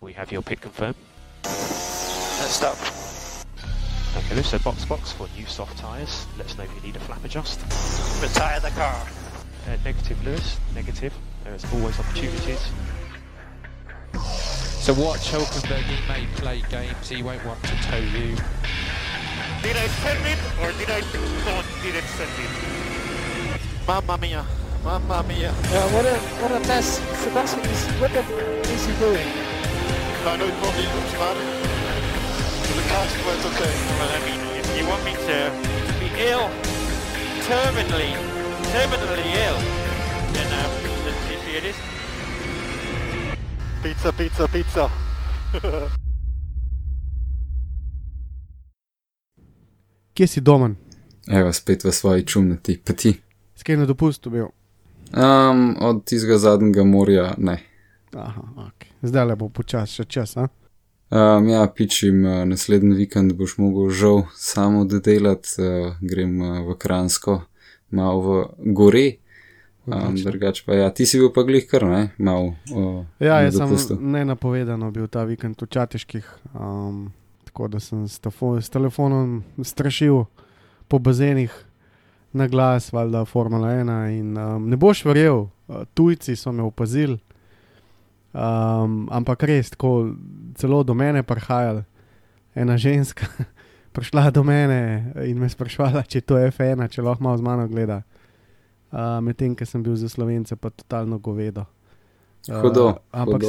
We have your pit confirmed. Let's stop. Okay, so box for new soft tyres. Let us know if you need a flap adjust. Retire the car. Negative, Lewis. Negative. There is always opportunities. So watch Hülkenberg, he may play games, he won't want to tow you. Did I send it or did I didn't send it? Mamma mia. Mamma mia. Yeah, what a mess. Sebastian, what is he doing? I know it probably looks bad. But the car went okay. Well, I mean, if you want me to be ill, terminally ill, then let's see it is. Pizza. Kje si Domen? Evo, spet v svoji čumnati. Pa ti? Skaj na dopustu bil? Od tistega zadnjega morja ne. Aha, ok. Zdaj le bo počas še čas, a? Ja, pičim, naslednji vikend boš mogel žal samo dodelati, grem v Kranjsko, malo v gore. Drugač pa ja, ti si bil pa glih kar, ne? Malo ja, na jaz dopustu. sem nenapovedano bil ta vikend v Čateških, tako da sem s telefonom strašil po bazenih na glas, valjda Formula 1 in ne boš verjel, tujci so me opazili, ampak res, tako celo do mene prihajali, ena ženska prišla do mene in me sprašvala, če je to F1, če lahko malo z mano gleda. Medtem, ker sem bil za Slovence pa totalno govedo. Hudo. Ampak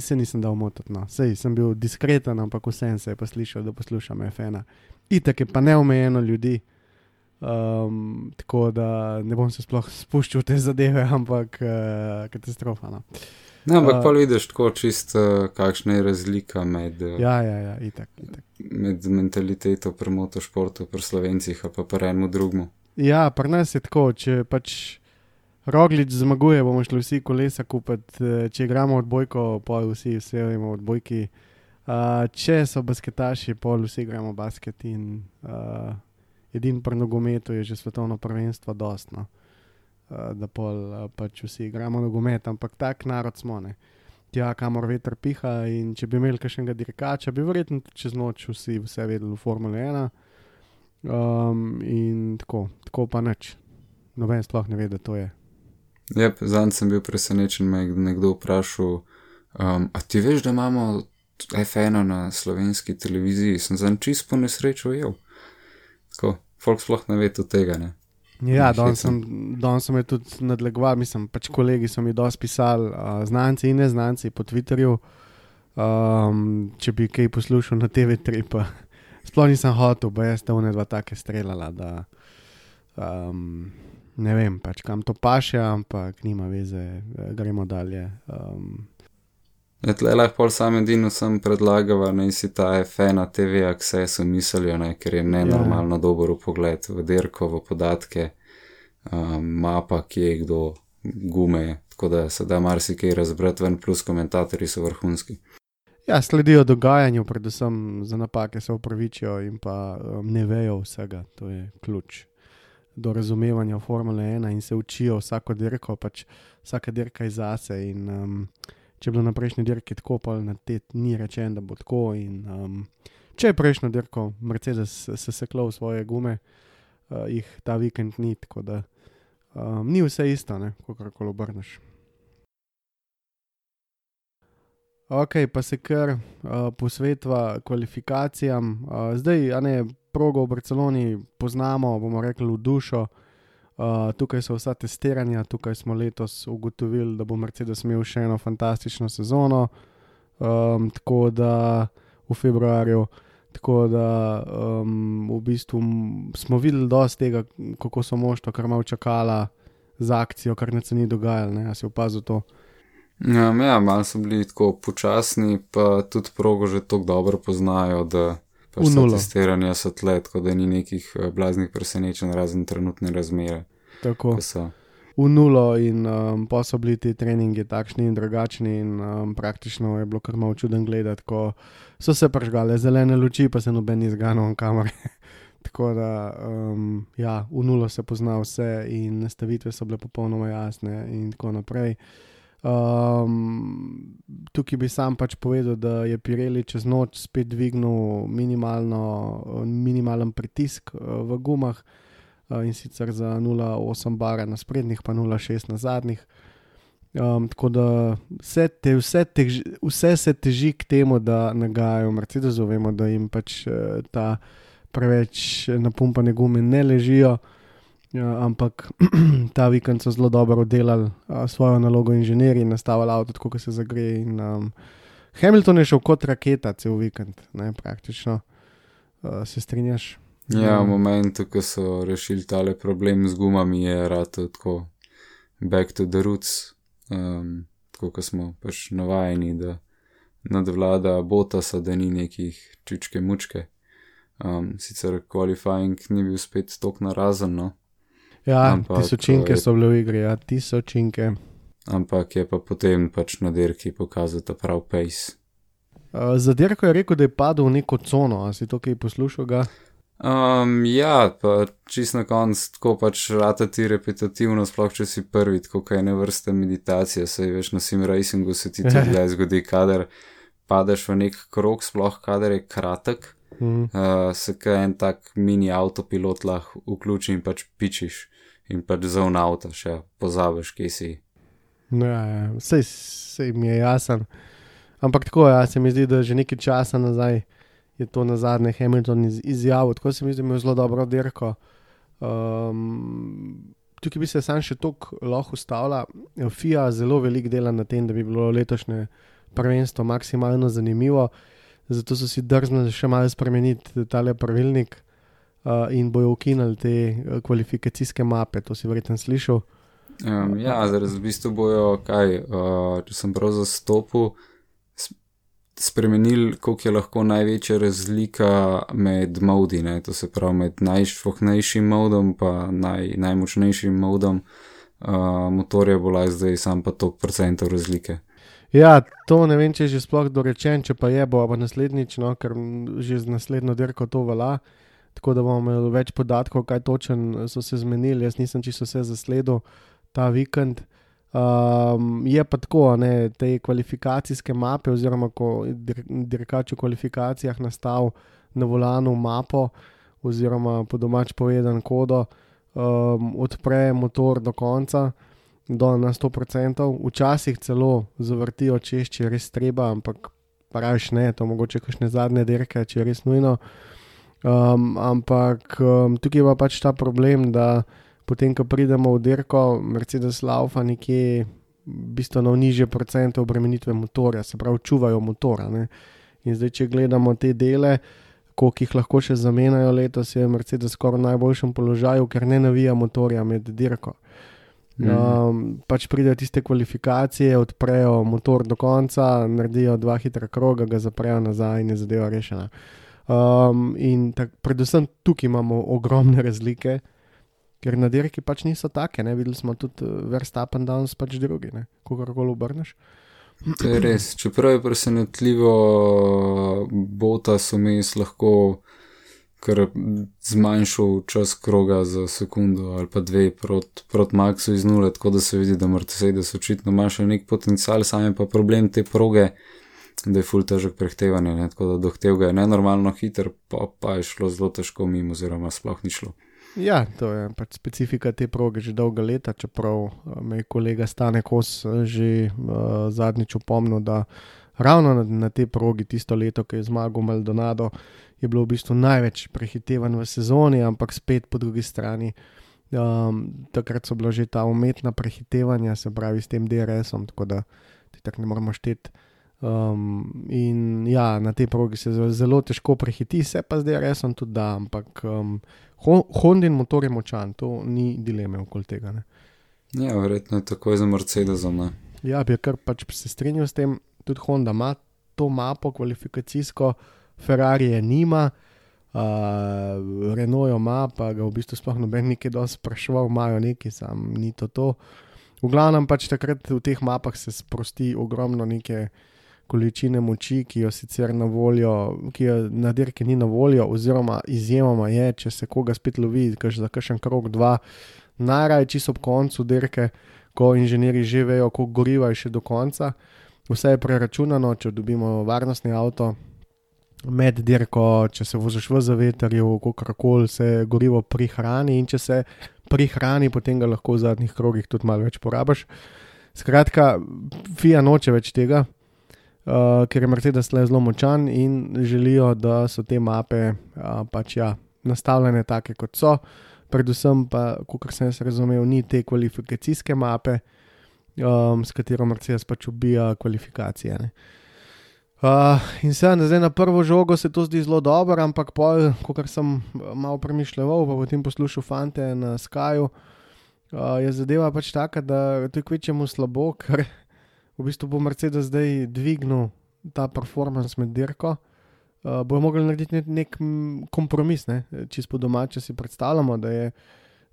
se nisem dal motiti, no. Sej, sem bil diskreten, ampak vsem se je pa slišal, da poslušam F1. Itak je pa neomejeno ljudi, tako da ne bom se sploh spuščal v te zadeve, ampak katastrofa, no. Ne, ampak pa vidiš tako čisto, kakšna je razlika med, Ja, itak. med mentaliteto pri motošportu, pri Slovencih, pa pri enemu drugmu. Ja, pri nas je tako, če pač Roglič zmaguje, bomo šli vsi kolesa kupiti, če igramo odbojko, pol vsi vemo odbojki, če so basketaši, pol vsi igramo basket in edin pri nogometu je že svetovno prvenstvo dostno, da pol pač vsi igramo nogomet, ampak tak narod smo, ne. Tja, kamor veter piha in če bi imeli kakšnega dirkača, bi verjetno čez noč vsi vse vedeli v Formule 1. In tako pa nič. Noben sploh ne ve, da to je. Jep, zanj sem bil presenečen, me je nekdo vprašal, a ti veš, da imamo F1 na slovenski televiziji? Sem zanj čisto po nesrečo ujel. Tako, folk sploh ne ve tudi tega, ne? Ja, danes sem me tudi nadlegoval, mislim, pač kolegi so mi dosti pisali, znanci in neznanci po Twitterju, če bi kaj poslušal na TV3, pa sploh nisem hotel, ba jaz one dva take streljala, da ne vem, pač kam to paše, ampak nima veze, gremo dalje. Ja, tle lahko pol sam edino sem predlagava, naj si ta F1 TV Access umislijo, ne, ker je nenormalno dober vpogled v dirko, v podatke, mapa, kje je kdo, gume, tako da se da marsikaj razbrati ven, plus komentatorji so vrhunski. Ja, sledijo dogajanju, predvsem za napake se opravičijo in pa ne vejo vsega, to je ključ do razumevanja Formule 1 in se učijo vsako dirko, pač vsaka dirka je zase in če je bilo na prejšnji dirki tako, pa na te ni rečen, da bo tako in če je prejšnjo dirko Mercedes se seklo v svoje gume, jih ta vikend ni, tako da ni vse isto, ne, kakorkoli obrneš. Ok, pa se kar posvetva kvalifikacijam. Zdaj, progo v Barceloni poznamo, bomo rekli, v dušo. Tukaj so vsa testiranja, tukaj smo letos ugotovili, da bo Mercedes imel še eno fantastično sezono, tako da v februarju, tako da v bistvu smo videli dosti tega, kako so moštva kar malo čakala z akcijo, kar ne se ni dogajalo, ne, a si opazil to? Ja, malo so bili tako počasni, pa tudi progo že toliko dobro poznajo, da pa vsa testiranja so tle, tako da ni nekih blaznih presenečenj razen trenutne razmere. Tako, v nulo in pa so bili ti treningi takšni in drugačni in praktično je bilo kar malo čuden gledati, ko so se prižgale zelene luči, pa se noben ni zganil kamere. Tako da, ja, v nulo se pozna vse in nastavitve so bile popolnoma jasne in tako naprej. Tukaj bi sam pač povedal, da je Pirelli čez noč spet dvignil minimalen pritisk v gumah, in sicer za 0,8 bara na sprednjih, pa 0,6 na zadnjih. Tako da vse se teži k temu, da nagajajo Mercedesu. Vemo, da jim pač ta preveč napumpane gume ne ležijo, ampak ta vikend so zelo dobro oddelali svojo nalogo inženirji in nastavili avto tako, kot se zagreje. Hamilton je šel kot raketa cel vikend, ne, praktično. Se strinjaš? Ja, v momentu, ko so rešili tale problem z gumami, je rato tako back to the roots, tako ko smo pač navajeni, da nadvlada Bottasa, da ni nekih čičke mučke. Sicer qualifying ni bil spet tok narazen, no. Ja, tisočinke so bile v igri, tisočinke. Ampak je pa potem pač na dirki pokazal ta prav pace. Za dirko je rekel, da je padel v neko cono, a si to kaj poslušal ga? Ja, pa čist na konc tako pač ratati repetitivno, sploh če si prvi, tako kaj ne vrste meditacije, saj veš na sim racingu se ti tudi le zgodi, kadar padeš v nek krog, sploh kadar je kratek, se kaj en tak mini autopilot lahko vključi in pač pičiš in pač zovn avta še pozabiš, kje si. Ja, sej mi je jasen. Ampak tako, se mi zdi, da že nekaj časa nazaj je to nazadnje Hamilton izjavil, tako se mi zdi, da je zelo dobro dirko. Tukaj bi se sam še toliko lahko ustavila. FIA zelo veliko dela na tem, da bi bilo letošnje prvenstvo maksimalno zanimivo, zato so si drznili še malo spremeniti tale pravilnik in bojo ukinili te kvalifikacijske mape, to si verjetno slišal. Ja, zaraz v bistvu bojo, če sem prav zastopil, spremenili, koliko je lahko največja razlika med modi, ne? To se pravi med najšvohnejšim modom pa najmočnejšim modom motorja bo lahko zdaj sam pa toliko procentov razlike. Ja, to ne vem, če je že sploh dorečen, če pa je, bo pa naslednjič, no, ker že z naslednjo dirko to velja, tako da bomo imeli več podatkov, kaj točen so se zmenili. Jaz nisem čisto vse zasledil ta vikend. Je pa tako, ne, te kvalifikacijske mape oziroma ko dirkač v kvalifikacijah nastal na volanu mapo oziroma po domač povedan kodo, odpre motor do konca, na 100%, včasih celo zavrtijo čez, če je res treba, ampak praviš ne, to mogoče kakšne zadnje dirke, če je res nujno. Ampak tukaj je pa pač ta problem, da potem, ko pridemo v dirko, Mercedes laufa nekje bistveno nižje procente obremenitve motorja, se pravi čuvajo motora, ne. In zdaj, če gledamo te dele, koliko jih lahko še zamenjajo letos, je Mercedes skoraj v najboljšem položaju, ker ne navija motorja med dirko. Pač pridejo tiste kvalifikacije, odprejo motor do konca, naredijo 2 hitra kroga, ga zaprejo nazaj in je zadeva rešena. Predvsem tukaj imamo ogromne razlike, ker na dirki pač niso take, ne, videli smo tudi Verstappen danes pač drugi, ne, kogarkoli obrneš. To je res, čeprav je presenetljivo Bottas vmes lahko kar zmanjšal čas kroga za sekundo ali pa 2 proti Maxu iz 0, tako da se vidi, da Mercedes očitno ima še nek potencial, sam je pa problem te proge, da je ful težek prehtevanje, ne, tako da dohtev ga je nenormalno hiter, pa je šlo zelo težko mimo, oziroma sploh ni šlo. Ja, to je pač specifika te proge že dolga leta, čeprav me je kolega Stane Kos že zadnjič opomnil, da ravno na te progi tisto leto, ko je zmagal Maldonado, je bilo v bistvu največ prehitevanj v sezoni, ampak spet po drugi strani takrat so bila že ta umetna prehitevanja, se pravi s tem DRS-om, tako da ti tako ne moramo šteti. In ja, na tej progi se zelo težko prehiti, se pa z DRS-om tudi da, ampak Hondin motor je močan, to ni dileme okoli tega, ne. Ja, verjetno je takoj za Mercedesom, ne. Ja, bi kar pač se strinjal s tem, tudi Honda ima to mapo kvalifikacijsko, Ferrari je nima, Renault jo ima, pa ga v bistvu sploh noben nekaj dosti spraševal, imajo nekaj, sam ni to. V glavnem pač takrat v teh mapah se sprosti ogromno neke količine moči, ki jo sicer na voljo, ki jo na dirki ni na voljo, oziroma izjemoma je, če se koga spet lovi, za kakšen krog 2, najraje čisto ob koncu dirke, ko inženirji že vejo, koliko goriva je še do konca. Vse je preračunano, če dobimo varnostni avto med dirko, če se voziš v zavetrju, kakorkoli se gorivo prihrani in če se prihrani, potem ga lahko v zadnjih krogih tudi malo več porabiš. Skratka, FIA noče več tega, ker je Mercedes zelo močan in želijo, da so te mape nastavljene take, kot so. Predvsem pa, kakor sem jaz razumel, ni te kvalifikacijske mape, s katero Mercedes pač ubija kvalifikacije. Ne. In zdaj na prvo žogo se to zdi zelo dobro, ampak pol, kakor sem malo premišljal, pa potem poslušal fante na Skyju, je zadeva pač taka, da to je kvečemu slabo, ker v bistvu bo Mercedes zdaj dvignil ta performance med dirko. Bojo mogli narediti nek kompromis, ne? Čisto po domače si predstavljamo, da je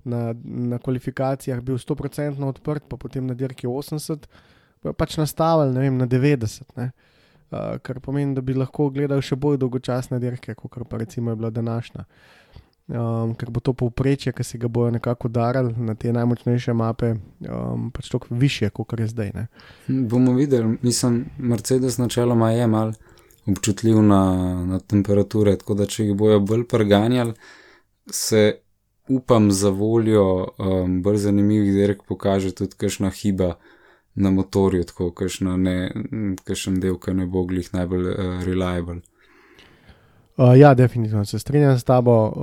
na kvalifikacijah bil 100% odprt, pa potem na dirki 80%, bojo pač nastavili, ne vem, na 90%, ne? Kar pomeni, da bi lahko gledal še bolj dolgočasne dirke, kot pa recimo je bila današnja. Ker bo to povprečje, ki si ga bojo nekako udarali na te najmočnejše mape, pač toliko višje, kot je zdaj. Ne? Bomo videli, mislim, Mercedes načeloma je mal občutljiv na temperature, tako da če jih bojo bolj preganjali, se upam za voljo bolj zanimivih dirk pokaže tudi kakšna hiba na motorju, tako kakšen del, ki ne bo glih najbolj reliable. Ja, definitivno se strinjam s tabo,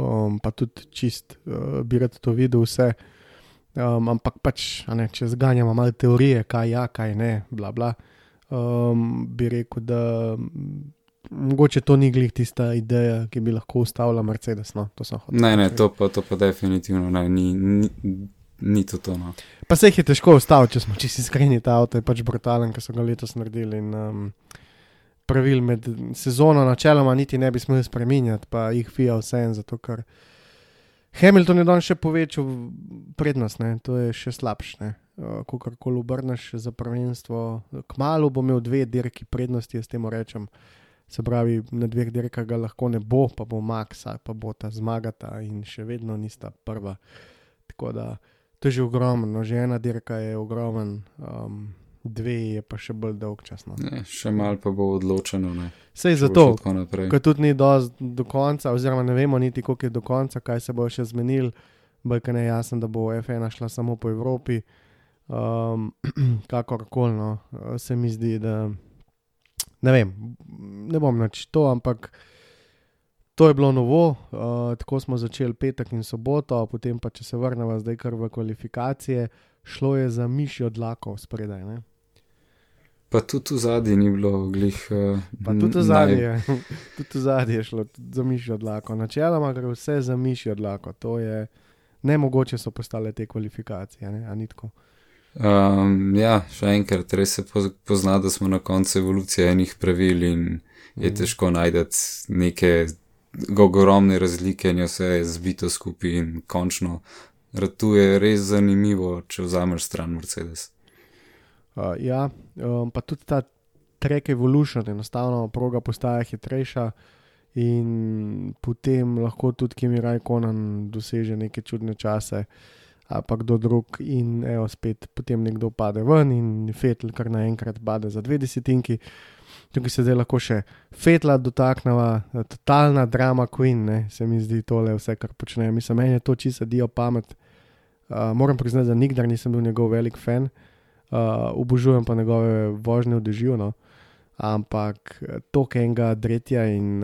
pa tudi čist bi rad to videl vse, ampak pač, če zganjamo malo teorije, kaj ja, kaj ne, bla bla, bi rekel, da mogoče to ni glih tista ideja, ki bi lahko ustavila Mercedes, no, to sem hotel. Ne, to pa definitivno ne, ni to, no. Pa se jih je težko ustaviti, če smo čisto iskreni, ta avto je pač brutalen, ker so ga letos naredili in pravil med sezono načeloma niti ne bi smeli spreminjati, pa jih FIA vseeno, zato ker Hamilton je danes še povečal prednost, ne, to je še slabše, ne, kakorkoli obrneš za prvenstvo, kmalu bo imel 2 dirki prednosti, jaz temu rečem, se pravi, na 2 dirkah ga lahko ne bo, pa bo Max, pa bo ta zmagata in še vedno nista prva, tako da to je že ogromno, že 1 dirka je ogromen, 2 je pa še bolj dolg čas. No. Ne, še malo pa bo odločeno. Ne. Sej zato, ker tudi ni do konca, oziroma ne vemo niti, koliko je do konca, kaj se bo še zmenil, bolj ne jasno, da bo F1 šla samo po Evropi, kakorkoli, no, se mi zdi, da ne vem, ne bom nič to, ampak to je bilo novo, tako smo začeli petek in soboto, potem pa, če se vrnemo zdaj kar v kvalifikacije, šlo je za mišjo dlako spredaj, ne? Pa tudi v zadnji ni bilo glih... Pa tudi v zadnji je šlo za mišjo dlako. Načeloma gre vse za mišjo dlako, to je nemogoče so postale te kvalifikacije, ne? A ni tako? Ja, še enkrat, res se pozna, da smo na koncu evolucije enih pravil in je težko najdeti neke ogromne razlike in vse je zbito skupaj in končno tu je res zanimivo, če vzameš stran Mercedes. Ja, pa tudi ta track evolution, enostavno proga postaja hitrejša in potem lahko tudi Kimi Raikkonen doseže neke čudne čase, pa kdo drug in evo spet potem nekdo pade ven in Vettel kar naenkrat pade za 2 desetinki. Tukaj se zdaj lahko še Vettela dotakneva, totalna drama queen, ne, se mi zdi tole vse, kar počne. Mislim, meni je to čisto dio pamet. Moram priznati, da nikdar nisem bil njegov velik fan, obožujem pa njegove vožnje v dežju, no. Ampak toliko enega dretja in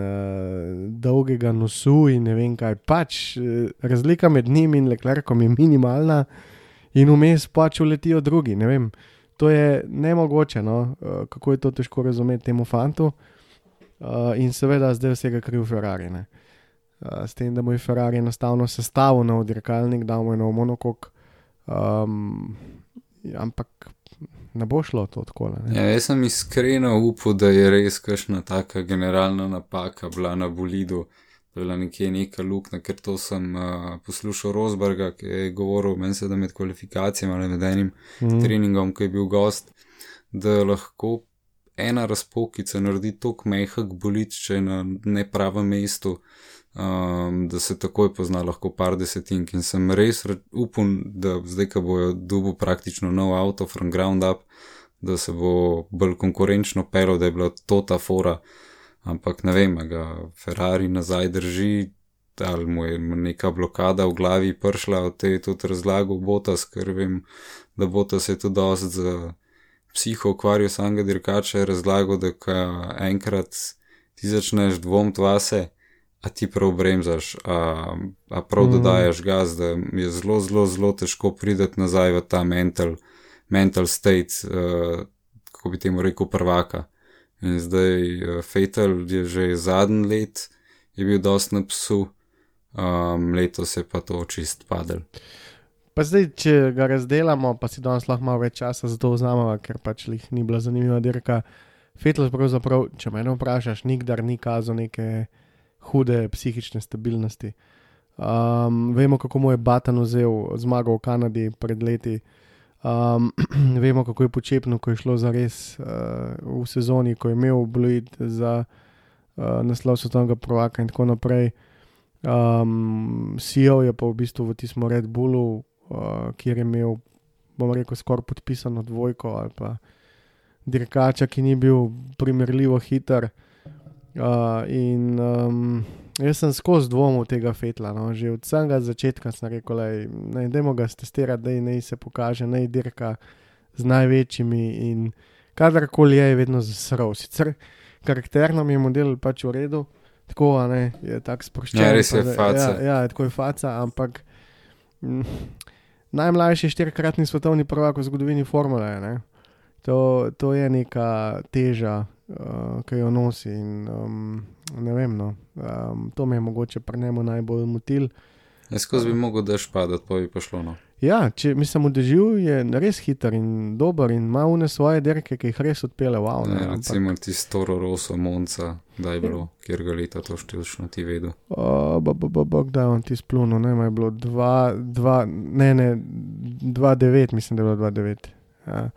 dolgega nosu in ne vem kaj, pač razlika med njim in Leclercom je minimalna in vmes pač uletijo drugi, ne vem. To je nemogoče, no, kako je to težko razumeti temu fantu in seveda zdaj vsega kriv Ferrari, ne. S tem, da mu je Ferrari enostavno sestavil nov dirkalnik, dal mu je nov monokok, ampak ne bo šlo to tako. Ja, jaz sem iskreno upal, da je res kakšna taka generalna napaka bila na bolidu, bila nekje neka luknja, ker to sem poslušal Rosberga, ki je govoril, meni se da med kvalifikacijami ali med enim treningom, ko je bil gost, da lahko ena razpokica naredi toliko mehak bolič, če je na nepravem mestu, da se takoj pozna lahko par desetink in sem res upam, da zdaj, ko bojo dobil praktično nov auto from ground up, da se bo bolj konkurenčno pelil, da je bila to ta fora, ampak ne vem, ga Ferrari nazaj drži, ali mu je neka blokada v glavi prišla, od te je tudi razlagal Bottas, ker vem, da Bottas je tudi dost za psiho ukvarjal samega dirkača, je razlagal, da ko enkrat ti začneš dvomiti vase, a ti prav bremzaš, a prav dodajaš gas, da je zelo, zelo, zelo težko prideti nazaj v ta mental state, kako bi temu rekel, prvaka. In zdaj Vettel je že zadnji let, je bil dost na psu, letos je pa to čist padel. Pa zdaj, če ga razdelamo, pa si danes lahko malo več časa za to vzamemo, ker pač ni bila zanimiva dirka. Vettel pravzaprav, če mene vprašaš, nikdar ni kazal neke hude psihične stabilnosti. Vemo, kako mu je Button vzel zmago v Kanadi pred leti. Vemo, kako je počepno, ko je šlo za res v sezoni, ko je imel bluid za naslov svetovnega prvaka in tako naprej. CEO je pa v bistvu v tistem Red Bullu, kjer je imel, bom rekel, skoraj podpisano dvojko ali pa dirkača, ki ni bil primerljivo hiter. Jaz sem skozi dvomil tega Vettela, no. Že od samega začetka sem rekel, dajmo ga stestirati, da naj se pokaže, naj dirka z največjimi in kadarkoli je vedno zasral. Sicer karakterno mi je model pač v redu, tako, je tak sproščen. Ja, res je faca. Ja, tako je faca, ampak najmlajši 4-kratni svetovni prvak v zgodovini formule, ne. To je neka teža, ki jo nosi in ne vem, no. To me je mogoče pri njemu najbolj motil. Jaz skozi bi mogel dež padati, pa bi pa šlo, no. Ja, če mislim, vdežil je res hiter in dober in ima une svoje dirke, ki jih res odpele, wow. Ne, recimo tisti Toro Rosso Monza, da je bilo, kjer ga leta to številčno ti vedel. Kdaj on ti splunil, ne, je bilo 2-9, mislim, da je bilo 2-9. Ja.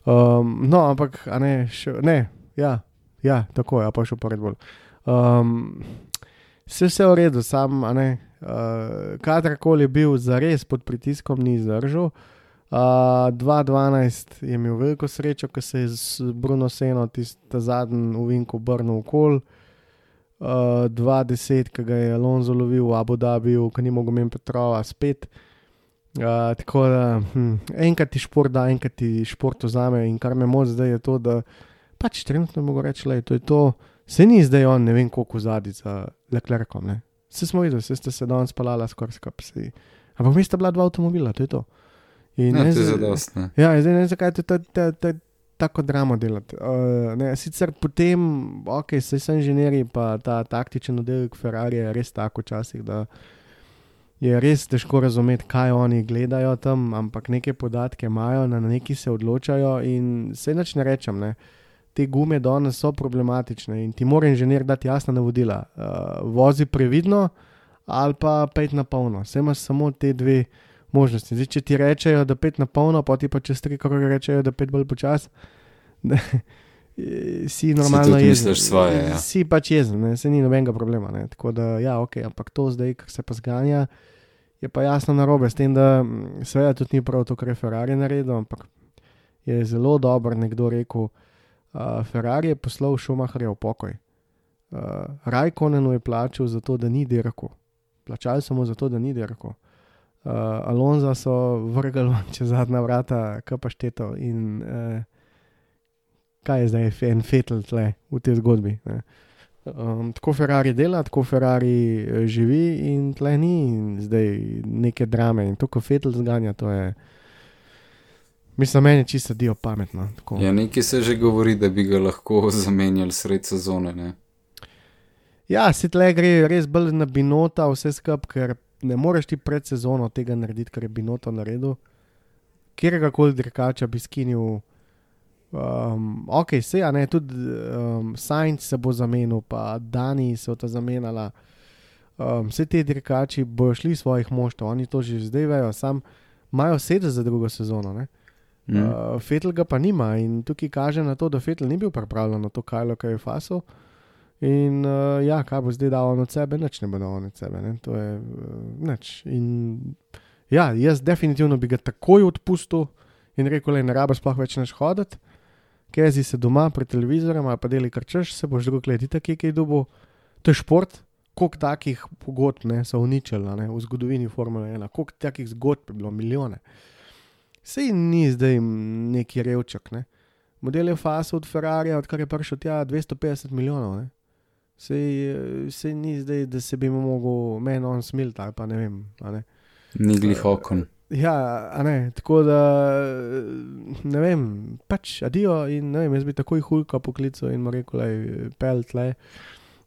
No, ampak, tako je, pa šel pa Red Bull. Vse v redu, sam, kadarkoli je bil zares pod pritiskom, ni zdržal. 2-12 je imel veliko srečo, ko se je z Bruno Senno ta zadnji uvink obrnil okol. 2-10, ko ga je Alonso lovil v Abu Dhabiju, ko ni mogel imeti Petrova spet. Tako da, enkrat ti šport da, enkrat ti šport vzame in kar me moč zdaj je to, da pač trenutno mogo reči, to je to, se ni zdaj on ne vem koliko zadnji za Leclercom, ne. Vse smo videli, vse ste se danes spalala skoraj skupaj. Ampak mi sta bila 2 avtomobila, to je to. In to je zadost, ne. Ja, zdaj ne vem, zakaj to tako dramo delati. Sicer potem, saj so inženirji, pa ta taktičen oddelek Ferrari je res tako včasih, da je res težko razumeti, kaj oni gledajo tam, ampak neke podatke imajo, na neki se odločajo in se nič ne rečem, ne. Te gume danes so problematične in ti mora inženir dati jasna navodila. Vozi previdno ali pa 5 na polno. Saj imaš samo te dve možnosti. Zdaj, če ti rečejo, da 5 na polno, pa ti pa čez 3 kroge rečejo, da 5 bolj počas, si normalno jezen. Si pač jezen, ne? Se ni nobenega problema. Ne? Tako da, ja, ampak to zdaj, kar se pa zganja, je pa jasno narobe. S tem, da seveda tudi ni prav to, kar je Ferrari naredil, ampak je zelo dobro nekdo rekel, Ferrari je poslal Schumacherja v pokoj. Raikkonenu je plačal za to, da ni dirkal. Plačali so mu za to, da ni dirkal. Alonso so vrgali čez zadnja vrata, kaj pa šteto in kaj je zdaj en Vettel tle v tej zgodbi. Ne? Tako Ferrari dela, tako Ferrari živi in tle ni zdaj neke drame in to, ko Vettel zganja, to je mislim, meni čisto dio pametno. Tako. Ja, nekaj se že govori, da bi ga lahko zamenjali sred sezone, ne? Ja, se tle gre res bolj na Binota vse skup, ker ne moreš ti pred sezono tega narediti, kar je Binotto naredil. Kjergakoli dirkača bi skinil. Tudi Sainz se bo zamenil, pa Dani se bo ta zamenjala. Vse te dirkači bojo šli svojih moštov, oni to že zdaj vejo, sam imajo sedeti za drugo sezono, ne? Vettel ga pa nima in tukaj kaže na to, da Vettel ni bil pripravljen na to Kylo, kaj je faso. In kaj bo zdaj dal on od sebe, nič ne bo dal on od sebe, ne? To je nič. In jaz definitivno bi ga takoj odpustil in rekel, ne rabiš sploh več naš hoditi, kezi se doma pred televizorem ali pa deli karčeš, se boš drug let itak kaj dobil. To je šport, koliko takih pogodb so uničili v zgodovini Formule 1, koliko takih zgodb je bilo, milijone. Sej ni zdaj neki revčak, ne. Model je faso od Ferrarija, odkar je prišel tja 250 milijonov, ne. Sej ni zdaj, da se bi mu mogel meni on smilt ali pa ne vem, a ne. Ni glih okon. Ja, a ne, tako da, ne vem, pač adijo in ne vem, jaz bi takoj Hulka poklical in mu rekel, pel tle.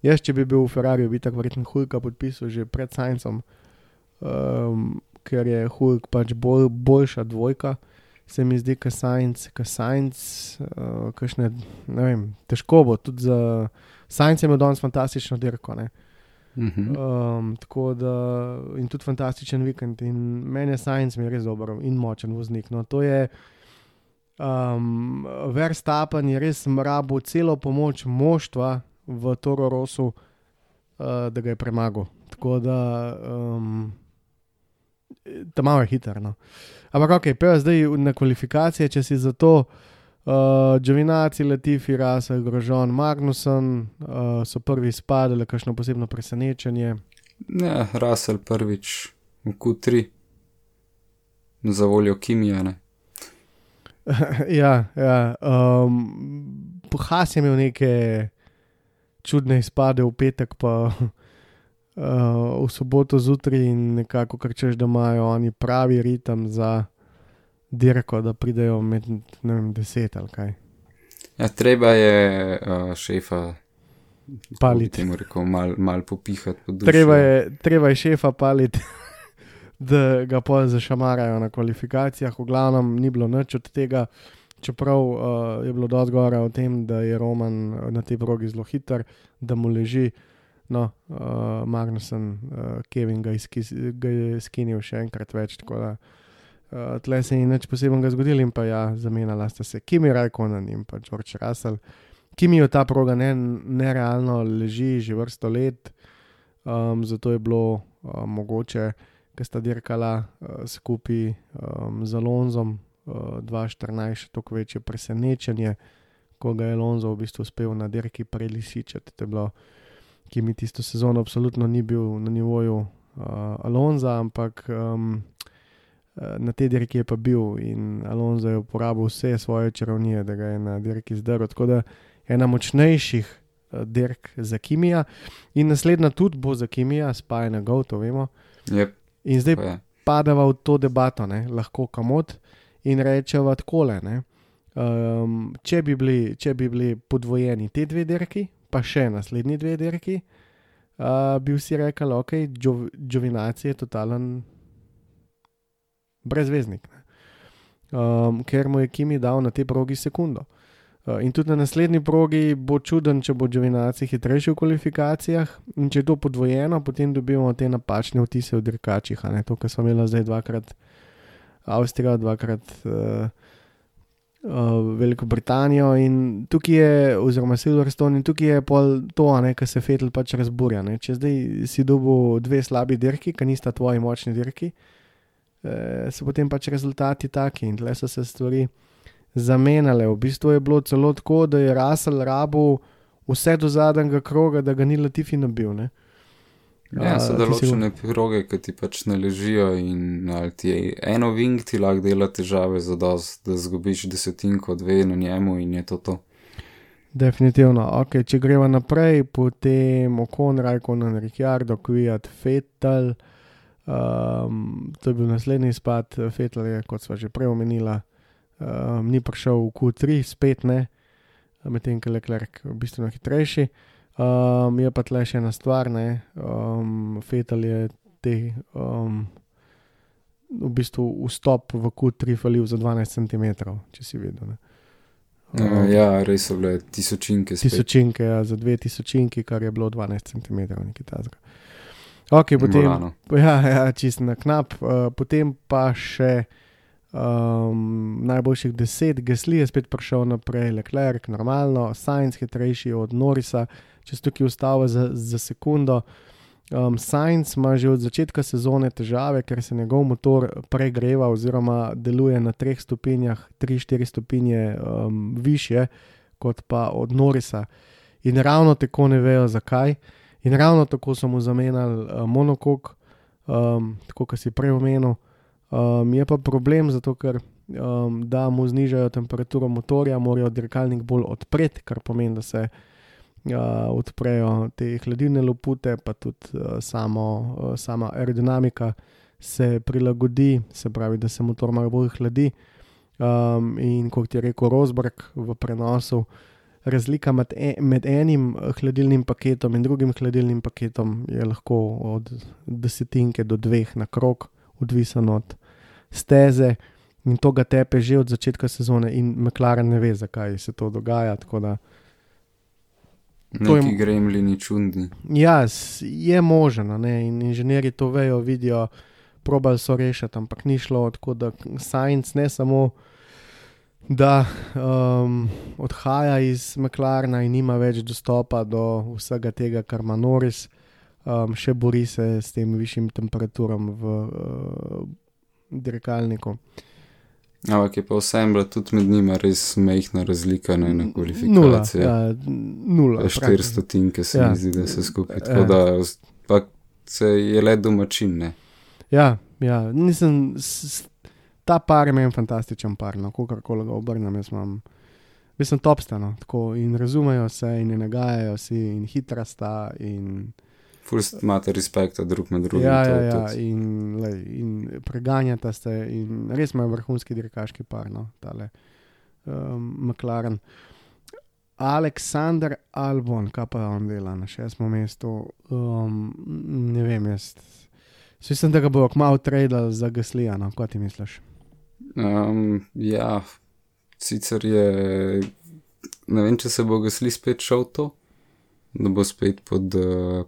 Jaz, če bi bil v Ferrariju, bi tako verjetno Hulka podpisal že pred Saincem, ker je Hulk pač boljša dvojka, se mi zdi, ka Sainz, kakšne, ne vem, težko bo, tudi za Sainz je imel danes fantastično dirko, ne. Tako da, in tudi fantastičen vikend in meni je Sainz mi je res dober in močen voznik, no, to je Verstappen je res rabil celo pomoč moštva v Toro Rossu, da ga je premagal, tako da ta malo je hiter, no. Ampak ok, pa zdaj na kvalifikacije, če si za to Giovinazzi, Latifi, Russell, Grosjean, Magnussen so prvi spadali, kakšno posebno presenečenje. Ne, Russell prvič v Q3 za voljo Kimija, ne. Ja. Haas je imel neke čudne izpade v petek, pa v soboto zjutraj in nekako kar češ, da imajo oni pravi ritem za dirko, da pridejo med, ne vem, 10 ali kaj. Ja, treba je šefa paliti. Temu rekel, mal popihati po duši. Treba je šefa paliti, da ga pol zašamarajo na kvalifikacijah. V glavnem ni bilo nič od tega, čeprav je bilo dosti govora o tem, da je Roman na tej progi zelo hiter, da mu leži. No, Magnussen, Kevin ga je skinil še enkrat več, tako da tle se ni nič posebnega zgodilo in pa zamenjala sta se Kimi Raikkonen in pa George Russell. Kimi jo ta proga nerealno leži že vrsto let, zato je bilo mogoče, ker sta dirkala skupaj z Alonsom 2014 še toliko večje presenečenje, ko ga je Alonso v bistvu uspel na dirki prelisičati. To je bilo, Kimi tisto sezono absolutno ni bil na nivoju Alonsa, ampak na tej dirki je pa bil in Alonso je uporabil vse svoje čarovnije, da ga je na dirki zdrl. Tako da ena močnejših dirk za Kimija in naslednja tudi bo za Kimija, Spa na Go, to vemo. Yep. In zdaj padava v to debato, ne, lahko kamot in rečeva takole, ne. Če bi bili podvojeni te dve dirki, pa še naslednji dve dirki, bi vsi rekli, ok, Giovinazzi je totalen brezveznik, ker mu je Kimi dal na tej progi sekundo. In tudi na naslednji progi bo čuden, če bo Giovinazzi hitrejši v kvalifikacijah in če je to podvojeno, potem dobimo te napačne vtise v dirkačih, a ne, to, kar smo imeli zdaj dvakrat Avstrijo, dvakrat Veliko Britanijo in tukaj je, oziroma Silverstone, in tukaj je pol to, a ne, kar se Vettel pač razburja, ne, če zdaj si dobil dve slabi dirki, ker nista tvoji močni dirki, so potem pač rezultati taki in tle so se stvari zamenjale. V bistvu je bilo celo tako, da je Russell rabil vse do zadnjega kroga, da ga ni Latifi nabil, ne. Ja, so določene proge, ki ti pač ne ležijo in ali ti je eno wing ti lahko dela težave za dost, da zgubiš desetinko, dve na njemu in je to. Definitivno. Ok, če greva naprej, potem Ocon, Raikkonen, Ricciardo, Kvyat, Vettel, to je bil naslednji izpad. Vettel je, kot sva že prej omenila, ni prišel v Q3, spet ne, medtem ko Leclerc v bistvu hitrejši. Je pa tle še ena stvar, ne, Vettel je v bistvu vstop v Q3 falil za 12 cm, če si videl, ne. Ja, res so bile tisočinke spet. Tisočinke, ja, za 2 tisočinki, kar je bilo 12 cm, nekaj tazga. Ok, potem, ja, čist na knap, potem pa še najboljših 10, Gasly je spet prišel naprej, Leclerc normalno, Sainz hitrejši od Norrisa, če se tukaj ustavi za sekundo. Sainz ima že od začetka sezone težave, ker se njegov motor pregreva oziroma deluje na 3 stopinjah, 3-4 stopinje višje kot pa od Norrisa. In ravno tako ne vejo zakaj. In ravno tako so mu zamenjali monokok, tako kot si prej omenil. Je pa problem zato, ker da mu znižajo temperaturo motorja, morajo dirkalnik bolj odpreti, kar pomeni, da se odprejo te hladilne lopute, pa tudi sama aerodinamika se prilagodi, se pravi, da se motor malo bolj hladi. In kot je rekel Rosberg v prenosu, razlika med enim hladilnim paketom in drugim hladilnim paketom je lahko od 10 do 2 na krog, odvisen od steze, in to ga tepe že od začetka sezone in McLaren ne ve, zakaj se to dogaja, tako da neki gremlini čudni. Ja, je možno, ne? In inženirji to vejo, vidijo, probali so rešiti, ampak ni šlo, tako da Sainz ne samo, da odhaja iz McLarena in nima več dostopa do vsega tega, kar ima Norris, še bori se s tem višjim temperaturam v dirkalniku. Ampak je pa vsem bila tudi med njima res majhna razlika na kvalifikacije. Nula. 400 se mi zdi, da se skupaj. Tako da pa se je le domačin, ne? Ja, nisem... Ta par je meni fantastičen par, no, kakorkoli ga obrnem, mislim topstano, tako in razumejo se in ne nagajajo si in hitra sta in... Fust imate respekta drug med drugim. Ja, in preganjata ste in res imajo vrhunski dirkaški par, no, tale McLaren. Alexander Albon, kaj pa on dela na 6. mestu, ne vem, jaz mislim, da ga bojo kmalu tradali za Gaslyja, no, kaj ti misliš? Ja, sicer je, ne vem, če se bo Gasly spet šel to, da bo spet pod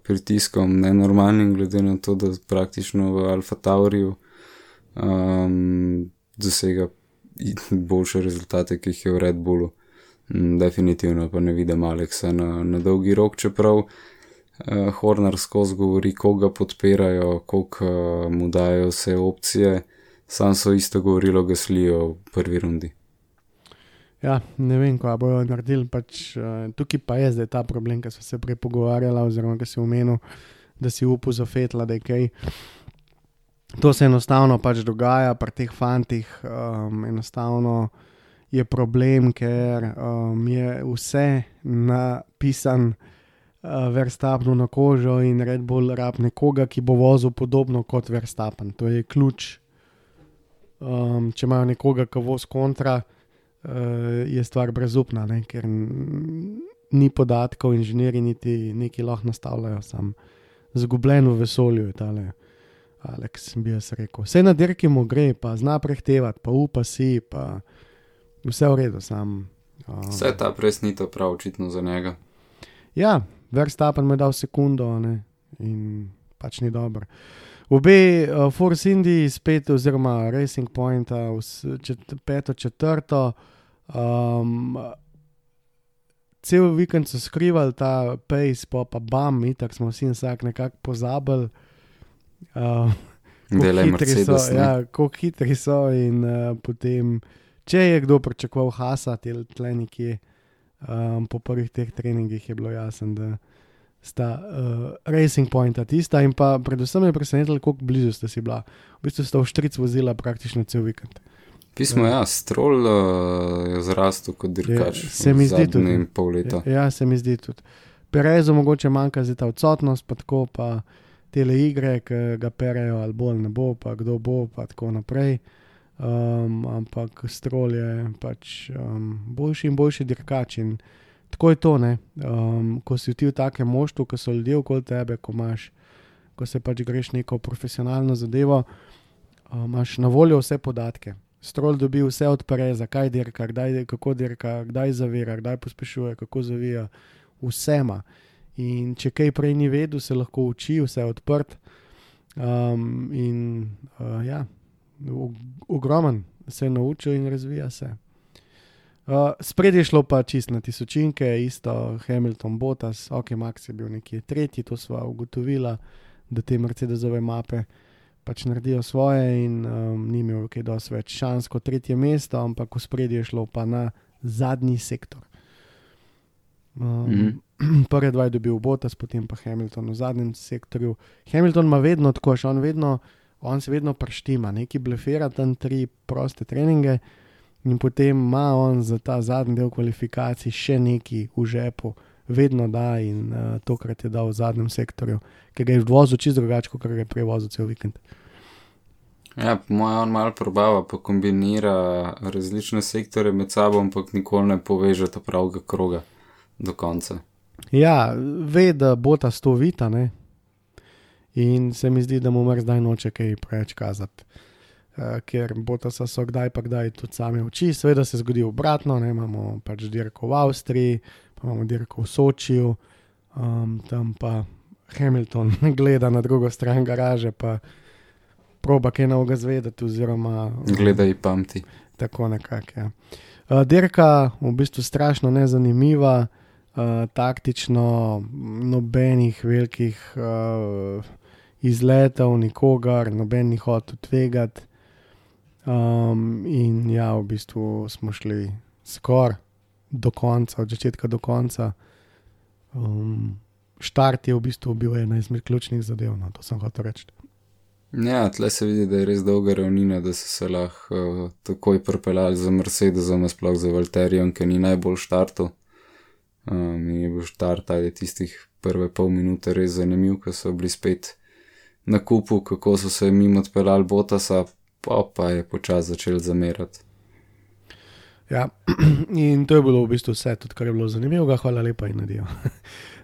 pritiskom nenormalnim, glede na to, da praktično v Alfa Tauriju dosega boljše rezultate, ki jih je v Red Bullu. Definitivno pa ne vidim Alexa na dolgi rok, čeprav Horner skozi govori, koga podpirajo, koliko mu dajo vse opcije, sam so isto govorilo Gaslyju v prvi rundi. Ja, ne vem, kaj bojo naredili, pač tukaj pa je zdaj ta problem, ki so se prej pogovarjala, oziroma ki si omenil, da si upal za Vettla, da je kaj. To se enostavno pač dogaja pri teh fantih, enostavno je problem, ker je vse napisan Verstappenu na kožo in Red Bull rab nekoga, ki bo vozil podobno kot Verstappen. To je ključ. Če imajo nekoga, ki voz kontra, je stvar brezupna, ne? Ker ni podatkov, inženirji niti neki lahko nastavljajo, sam zgubljen v vesolju je tale Alex, bi jaz rekel. Vse na dirki mu gre, pa zna prehtevati, pa upa si, pa vse v redu, sam. Vse ta pres ni to prav očitno za njega. Ja, Verstappen mu je dal sekundo, ne? In pač ni dobro. Obe Force Indy spet, oziroma Racing Pointa, 5. četrto, cel vikend so skrivali ta pace, pa bam, itak smo vsi vsak nekako pozabili, koliko hitri so in potem, če je kdo pričakoval Haasa, tle nekje, po prvih teh treningih je bilo jasno, da sta Racing Pointa tista in pa predvsem je presenetilo, koliko blizu sta si bila. V bistvu sta v štric vozila praktično cel vikend. Pismo, ja, Stroll je zrastel kot dirkač v zadnjem pol leta. Ja, se mi zdi tudi. Perezu mogoče manjka zdaj ta odsotnost, pa tako pa tele igre, ki ga perejo, ali bolj ne bo, pa kdo bo, pa tako naprej. Ampak Stroll je pač boljši in boljši dirkač in tako je to, ne. Ko si ti v takem moštvu, ko so ljudje okoli tebe, ko se pač greš neko profesionalno zadevo, imaš na voljo vse podatke. Stroll dobi vse od Pereza, kaj dirka, kako dirka, kdaj zavira, kdaj pospešuje, kako zavija, vsema. In če kaj prej ni vedel, se lahko uči, vse je odprt. Ja, ogromen, se je naučil in razvija se. Spred je šlo pa čist na tisočinke, isto Hamilton, Bottas, ok, Max je bil nekje tretji, to sva ugotovila, da te Mercedesove mape pač naredijo svoje in ni imel kaj dosti več šans kot tretje mesto, ampak v spred je šlo pa na zadnji sektor. Prve dva je dobil Bottas, potem pa Hamilton v zadnjem sektorju. Hamilton ima vedno tako, on se vedno preštima, neki blefira tam 3 proste treninge in potem ima on za ta zadnji del kvalifikacij še neki v žepu, vedno da in tokrat je dal v zadnjem sektorju, ker ga je vozil čisto drugače, kot ga je prej vozil cel vikend. Ja, po mojem on malo probava, pa kombinira različne sektore med sabo, ampak nikoli ne poveže ta pravega kroga do konca. Ja, ve, da Bottas to vita, ne? In se mi zdi, da mu zdaj noče kaj preveč kazati. Ker Bottasa so kdaj pa kdaj tudi same oči, seveda se zgodi obratno, ne? Imamo pač dirko v Avstriji, pa imamo dirko v Sočiju, tam pa Hamilton gleda na drugo stran garaže, pa proba kaj novega zvedeti, oziroma gleda in pamti. Tako nekako, ja. Dirka v bistvu strašno nezanimiva, taktično nobenih velikih izletov, nikogar, noben ni hotel tvegati. In ja, v bistvu smo šli skoraj do konca, od začetka do konca. Štart je v bistvu bil ena izmed ključnih zadev, no, to sem hotel reči. Ja, tle se vidi, da je res dolga ravnina, da so se lahko takoj pripeljali za Mercedesom, sploh za Valtterijem, ki ni najbolj štartov. In je bil štart ali tistih prve pol minute res zanimiv, ko so bili spet na kupu, kako so se mimo odpeljali Bottasa, pa je počas začel zamerati. Ja, in to je bilo v bistvu vse, tudi kar je bilo zanimivega, hvala lepa in nadijo.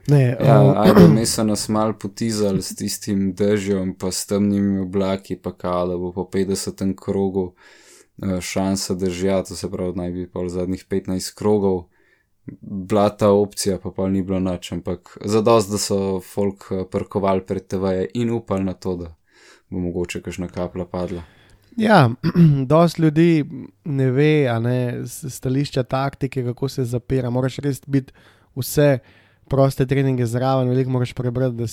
Ajde, mi so nas malo potizali s tistim dežjem, pa s temnimi oblaki, pa kao, da bo po 50. krogu šansa dežja, to se pravi, naj bi pa v zadnjih 15 krogov bila ta opcija, pa ni bilo nič, ampak zadost, da so folk parkovali pred TV-je in upali na to, da bo mogoče kakšna kapla padla. Ja, dosti ljudi ne ve, a ne, stališča taktike, kako se zapira, moraš res biti vse proste treninge zraven, veliko moraš prebrati,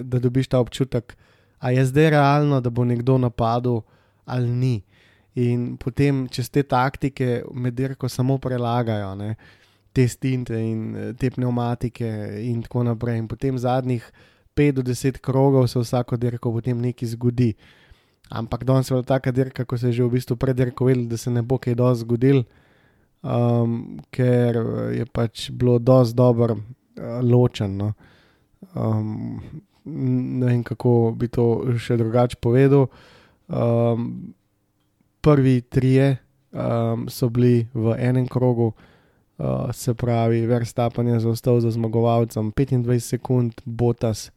da dobiš ta občutek, a je zdaj realno, da bo nekdo napadel ali ni. In potem čez te taktike med dirko samo prelagajo, ne, te stinte in te pneumatike in tako naprej. In potem zadnjih 5 do 10 krogov se vsako dirko potem nekaj zgodi. Ampak danes je bila taka dirka, ko se je že v bistvu pred dirko vedel, da se ne bo kaj dosti zgodil, ker je pač bilo dosti dobro ločen. No. Ne vem, kako bi to še drugače povedal. Prvi trije so bili v enem krogu, se pravi, Verstappen je zaostal za zmagovalcem 25 sekund, Bottas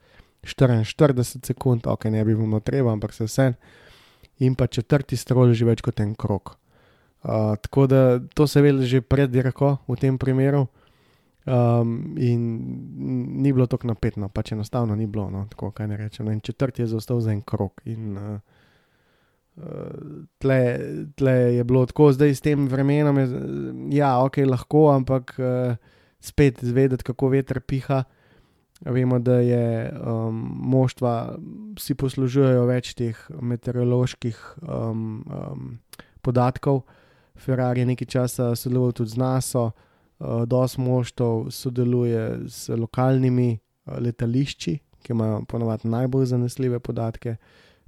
44 sekund, ok, ne bi bilo treba, ampak se vse. In pa četrti Stroll že več kot en krog. Tako da to se veli že pred dirko v tem primeru in ni bilo tako napetno, pač enostavno ni bilo, no, tako kaj ne rečem. In četrti je zaostal za en krog in tle je bilo tako, zdaj s tem vremenom je, ja, ok, lahko, ampak spet zvedeti, kako veter piha. Vemo, da je moštva si poslužujejo več teh meteoroloških podatkov. Ferrari je nekaj časa sodeloval tudi z NASA, dosti moštev sodeluje s lokalnimi letališči, ki imajo ponavadi najbolj zanesljive podatke.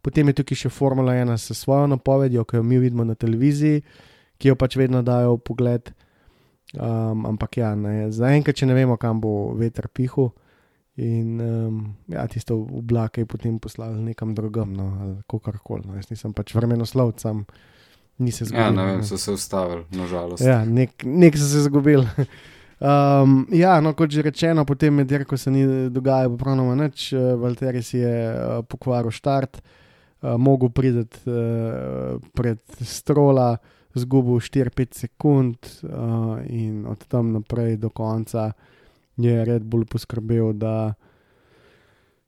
Potem je tukaj še Formula 1 s svojo napovedjo, ki jo mi vidimo na televiziji, ki jo pač vedno dajo v pogled. Ampak ja, zaenkrat, če ne vemo, kam bo veter pihal. In ja, tisto oblake je potem poslali nekam drugam, no, ali kakorkoli. No. Jaz nisem pač vremenoslovec, sam ni se zgodil. Ja, ne vem, so se ustavili, nažalost. Ja, nek so se zgubili. Ja, no, kot že rečeno, potem med dirko se ni dogajalo popolnoma nič. Valtteri si je pokvaril štart, mogel priti pred Strolla, zgubil 4-5 sekund in od tam naprej do konca je Red Bull poskrbel, da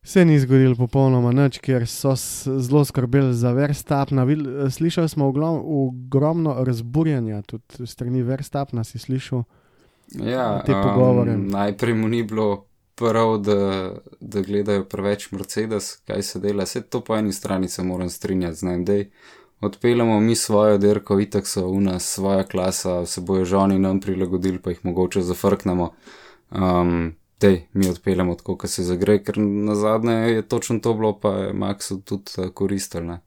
se ni zgodilo popolnoma nič, ker so zelo skrbeli za Verstappna. Slišali smo ogromno razburjanja, tudi strani Verstappna si slišal te pogovore. Najprej mu ni bilo prav, da gledajo preveč Mercedes, kaj se dela. Vse to po eni strani se moram strinjati z njim, dej. Odpeljamo mi svojo dirko, itak so u nas svoja klasa, se bojo žoni nam prilagodili, pa jih mogoče zafrknemo. Mi odpeljamo tako, ko se zagre, ker nazadnje je točno to bilo, pa je Maxu tudi koristil, ne.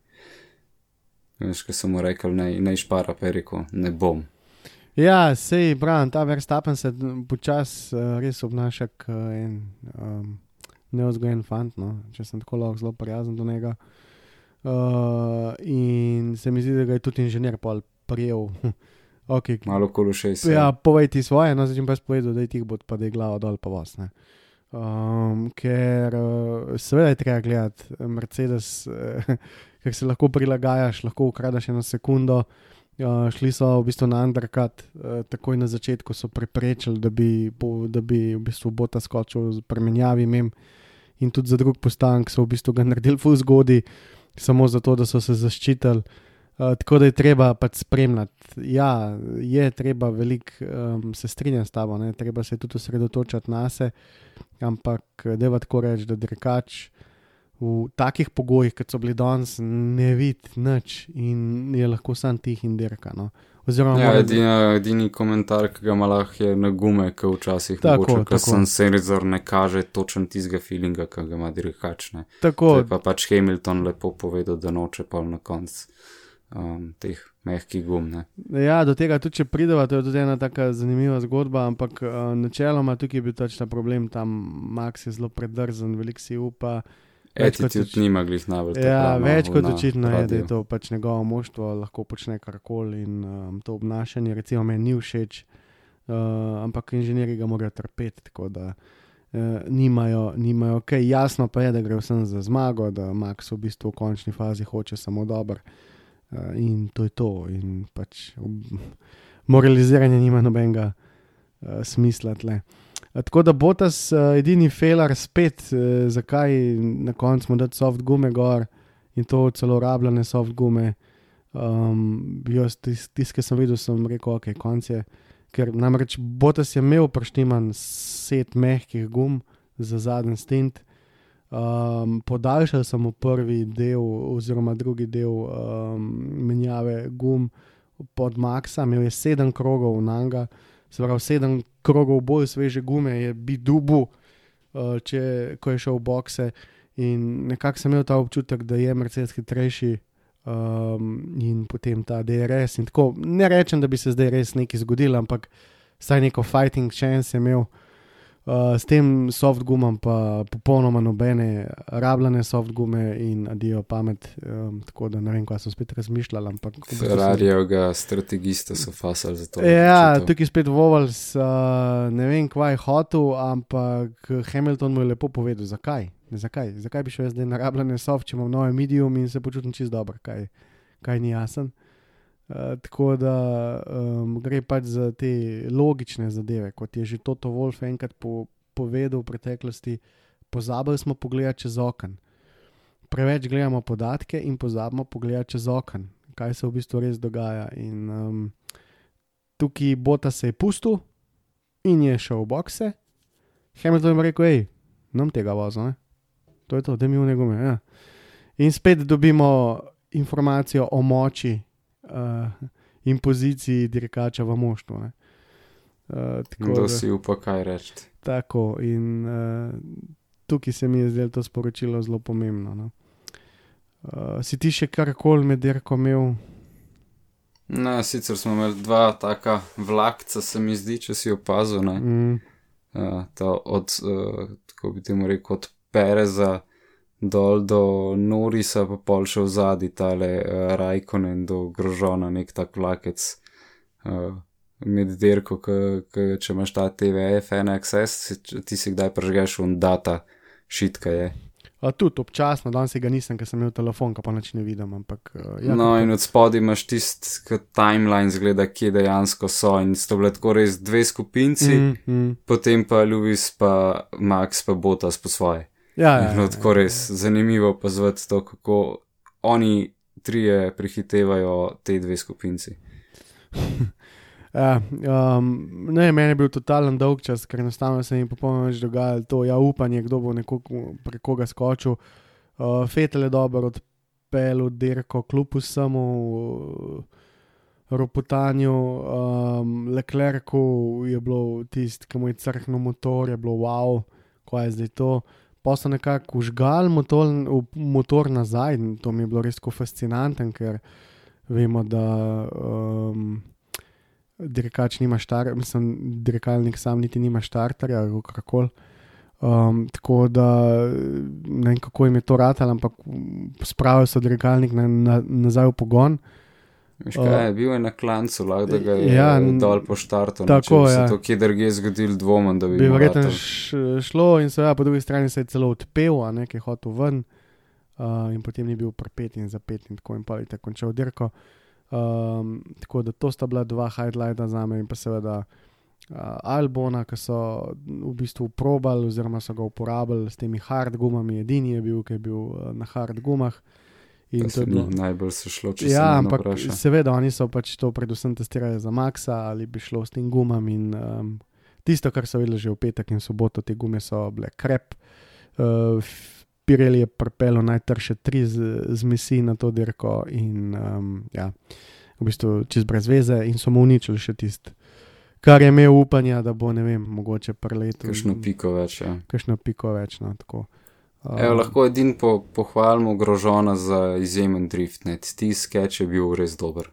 Veš, ko sem mu rekel, ne špara, pa je rekel, ne bom. Ja, sej, Bran, ta Verstappen se počas res obnaša en neozgojen fant, no, če sem tako lahko zelo prijazen do njega. In se mi zdi, da ga je tudi inženir pol prijel. Okay. Malo kološej se. Ja, povej ti svoje, no, začem pa spovedal, da je tih bod, pa da je glava dol pa vas, ne. Ker seveda je treba gledati Mercedes, ker se lahko prilagajaš, lahko ukradaš 1 sekundo. Šli so v bistvu na undercut, takoj na začetku so preprečili, da bi v bistvu Bota skočil z premenjavi mem, in tudi za drug postanek so v bistvu ga naredili ful zgodi, samo zato, da so se zaščitili. Tako da je treba pač spremljati. Ja, je treba veliko, se strinjam s tabo, ne? Treba se tudi osredotočati na se, ampak deva tako reči, da dirkač v takih pogojih, kot so bili danes, ne vidi nič in je lahko sam tih in dirka. No? Ja, edini komentar, ki ga ima lahko, je na gume, ki včasih mogoče, ker senzor ne kaže točen tistega feelinga, ki ga ima dirkač. To je pa pač Hamilton lepo povedal, da noče pa na konc teh mehkih gum. Ne? Ja, do tega tudi, če prideva, to je tudi ena taka zanimiva zgodba, ampak načeloma tukaj je bil tač ta problem, tam Max je zelo predrzen, veliko si upa. Attitude nima glih najbolj. Ja, več kot očitno je, da je to pač njegovo moštvo, lahko počne karkoli in to obnašanje, recimo meni ni všeč, ampak inženirji ga morajo trpeti, tako da nimajo, jasno pa je, da gre vsem za zmago, da Max v bistvu v končni fazi hoče samo dobro. In to je to, in pač moraliziranje nima nobenega smisla tle. Tako da Bottas edini failer spet, zakaj na koncu mu dati soft gume gor in to celo rabljene soft gume. Tist, ki sem videl, sem rekel, ok, konc je, ker namreč Bottas je imel preštiman set mehkih gum za zadnji stint. Podaljšal sem v prvi del oziroma drugi del menjave gum pod Maxa, imel je 7 krogov nanga, se pravi 7 krogov bolj sveže gume je bi dubu, ko je šel v bokse, in nekako sem imel ta občutek, da je Mercedes hitrejši in potem ta DRS in tako, ne rečem, da bi se zdaj res nekaj zgodilo, ampak saj neko fighting chance je imel. S tem soft gumom pa popolnoma nobene rabljene soft gume in adijo pamet, tako da ne vem, kaj so spet razmišljali, ampak... Ferrarijevega strategista so fasali za to. Ja, tukaj spet Vovals, ne vem, kvaj je hotel, ampak Hamilton mu je lepo povedal, zakaj bi šel zdaj na rabljene soft, če imam nove medium in se počutim čisto dobro, kaj ni jasen. Tako da gre pač za te logične zadeve, kot je že Toto Wolff enkrat povedal v preteklosti, pozabili smo pogledati čez okno. Preveč gledamo podatke in pozabimo pogledati čez okno, kaj se v bistvu res dogaja. In tukaj Bottas se je pustil in je šel v bokse. Hamilton je rekel, nam tega vozo, ne? To je to, da mi v njegove, ja. In spet dobimo informacijo o moči in poziciji dirkača v moštvu. Kdo si upa kaj reči. Tako, in tukaj se mi je zdelo to sporočilo zelo pomembno. No. Si ti še karkoli med dirko imel? Ne, sicer smo imeli 2 taka vlakca, se mi zdi, če si opazil. Tako bi temu rekel, od Pereza dol do Norrisa, pa pol še v zadnji tale Raikkonen do Grosjeana, nek tak vlakec med dirko, če imaš ta TVF NXS, ti si kdaj prežgeš data šitka je. Tudi občasno, danes ga nisem, ker sem imel telefon, ka pa nič ne vidim, ampak... in od spodaj imaš tist timeline zgleda, kje dejansko so, in so bile tako res 2 skupinci, potem pa Lewis pa Max pa Bottas po svoje. No, tako res zanimivo pozvati to, kako oni trije prehitevajo te dve skupinci. Ne, meni je bil totalen dolg čas, ker enostavno se mi popolnoma več dogajalo to, upanje, kdo bo prek koga skočil. Vettel je dobro odpeljal dirko, kljub vsemu ropotanju, Leclercu je bilo tisto, ki mu je crknil motor, je bilo wow, kaj je zdaj to. Pa so nekako užgal motor nazaj, to mi je bilo res tako fascinantno, ker vemo, da dirkač nima dirkalnik sam niti nima štarterja, ali kakorkoli. Tako da ne vem, kako jim je to ratalo, ampak spravili so dirkalnik nazaj v pogon. Veš kaj, bil je na klancu, lahko da ga je dol po štartu. Če bi se to kje drugje zgodil, dvomem, da bi verjetno šlo in seveda po drugi strani se je celo odpel, nekaj hotel ven in potem ni bil prepet in zapet in tako in pa je tako končal dirko. Tako da to sta bila dva highlighta zame in pa seveda Albona, ki so v bistvu probali oziroma so ga uporabili s temi hard gumami, edini je bil, ki je bil na hard gumah. In to je bilo najbolj se šlo, če se ne vpraša. Seveda, oni so pač to predvsem testirali za Maxa, ali bi šlo s tem gumam in tisto, kar so videli že v petek in soboto, te gume so bile krep. Pirelli je pripeljal najtrše 3 zmesi na to dirko in v bistvu čez brez veze in so mu uničili še tisto, kar je imel upanja, da bo, ne vem, mogoče preletel. Kakšno piko več, Kakšno piko več, no, tako. Lahko edin pohvalimo Grožona za izjemen drift, ne. Ti sketch je bil res dober.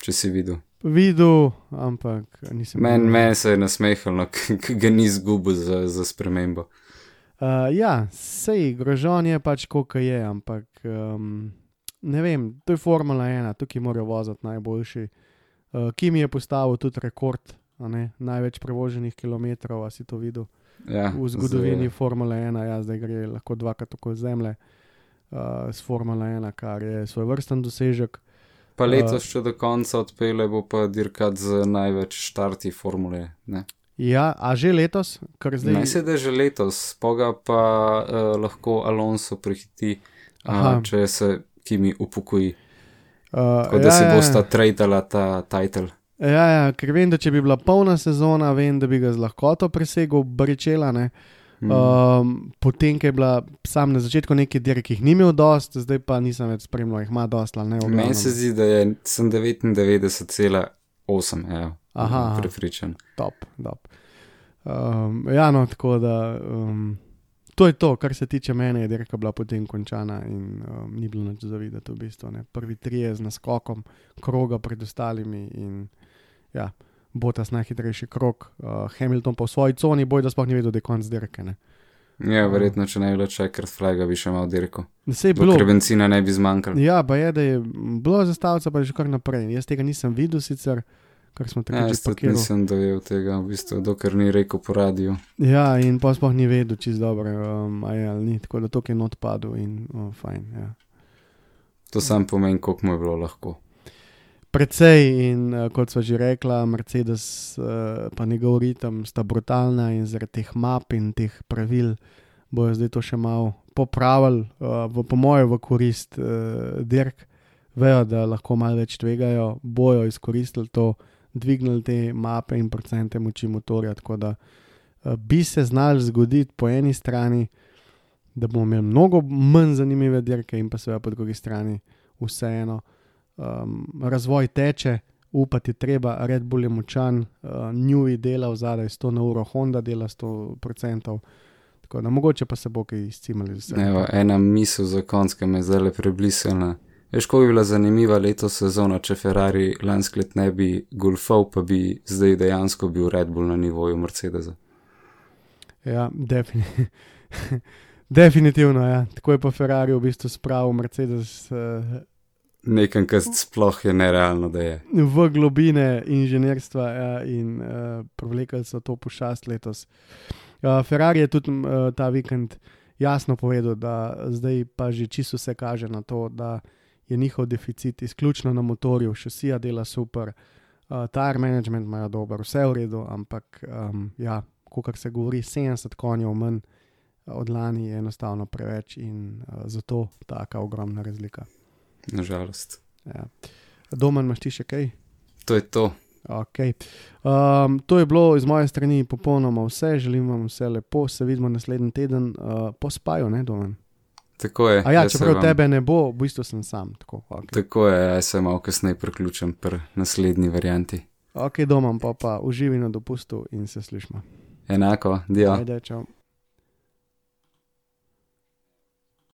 Če si videl. Videl, ampak nisem... Meni se je nasmehal, ga ni zgubil za spremembo. Sej, Grožon je pač koliko je, ampak ne vem, to je Formula 1, tukaj morajo voziti najboljši. Kimi je postavil tudi rekord, največ prevoženih kilometrov, a si to videl? V zgodovini Formula 1, zdaj gre lahko 2krat tako zemlje s Formula 1, kar je svoj vrsten dosežek. Pa letos še do konca odpele bo pa dirkat z največ štarti Formule, ne? Ja, a že letos? Ne se da že letos, poga pa lahko Alonso prehiti, če se Kimi upokoji. Tako da se bosta tradala ta title. Ker vem, da če bi bila polna sezona, vem, da bi ga z lahkoto presegel Barrichello, ne. Potem, ko je bila sam na začetku nekaj dirk, ki jih ni imel dost, zdaj pa nisem več spremljal, jih ima dost, ali ne. Meni se zdi, da sem 99,8, prepričan. Top. Tako da to je to, kar se tiče mene, je dirka bila potem končana in ni bilo nič zavideti v bistvu, ne. Prvi 3 z naskokom kroga pred ostalimi in Bottas najhitrejši krog, Hamilton pa v svoji coni, boj, da sploh ni vedel, da je konc dirke, ne. Verjetno, če ne bi bilo checkers flaga, bi še imel dirko. Dokler benzina ne bi zmanjkalo. Pa je, da je bilo zastavica, pa je že kar naprej. Jaz tega nisem videl sicer, kar smo tako že pakiral. Jaz nisem dojel tega, v bistvu, dokler ni rekel po radiju. In pa sploh ni vedel čist dobro, ali ni, tako da to je not padel in fajn, To sam pomeni, koliko mu je bilo lahko. Precej in kot sva že rekla, Mercedes pa njegov ritem sta brutalna in zaradi teh map in teh pravil bojo zdaj to še malo popravili, po mojem v korist dirk. Vejo, da lahko malo več tvegajo, bojo izkoristili to, dvignili te mape in procente moči motorja, tako da bi se znali zgoditi po eni strani, da bomo imeli mnogo manj zanimive dirke in pa seveda po drugi strani vseeno. Razvoj teče, upati treba, Red Bull je močan, Newey dela vzadaj 100 na uro, Honda dela 100%, tako da mogoče pa se bo kaj izcimali. Ena misel za konc, ki me je zdaj preblisala. Veš, ko bi bila zanimiva letos sezona, če Ferrari lansko let ne bi golfal, pa bi zdaj dejansko bil Red Bull na nivoju Mercedesa. Definitivno, Tako je pa Ferrari v bistvu spravil Mercedes nekam, kar sploh je nerealno, da je. V globine inženirstva in prevlekali so to pošast letos. Ferrari je tudi ta vikend jasno povedal, da zdaj pa že čisto se kaže na to, da je njihov deficit izključno na motorju, šasija dela super, tire management imajo dober, vse v redu, ampak kakor se govori, 70 konjev manj od lani je enostavno preveč in zato taka ogromna razlika. Nažalost. Ja. Domen, imaš ti še kaj? To je to. Okay. To je bilo iz moje strani popolnoma vse, želim vam vse lepo, se vidimo naslednji teden po spaju, ne Domen? Tako je. A ja, čeprav tebe ne bo, v bistvu sem sam. Tako, okay. Tako je, jaz se malo kasneje priključim pri naslednji varianti. Ok, Domen, pa uživi na dopustu in se slišimo. Enako, dio. Ajde, čau.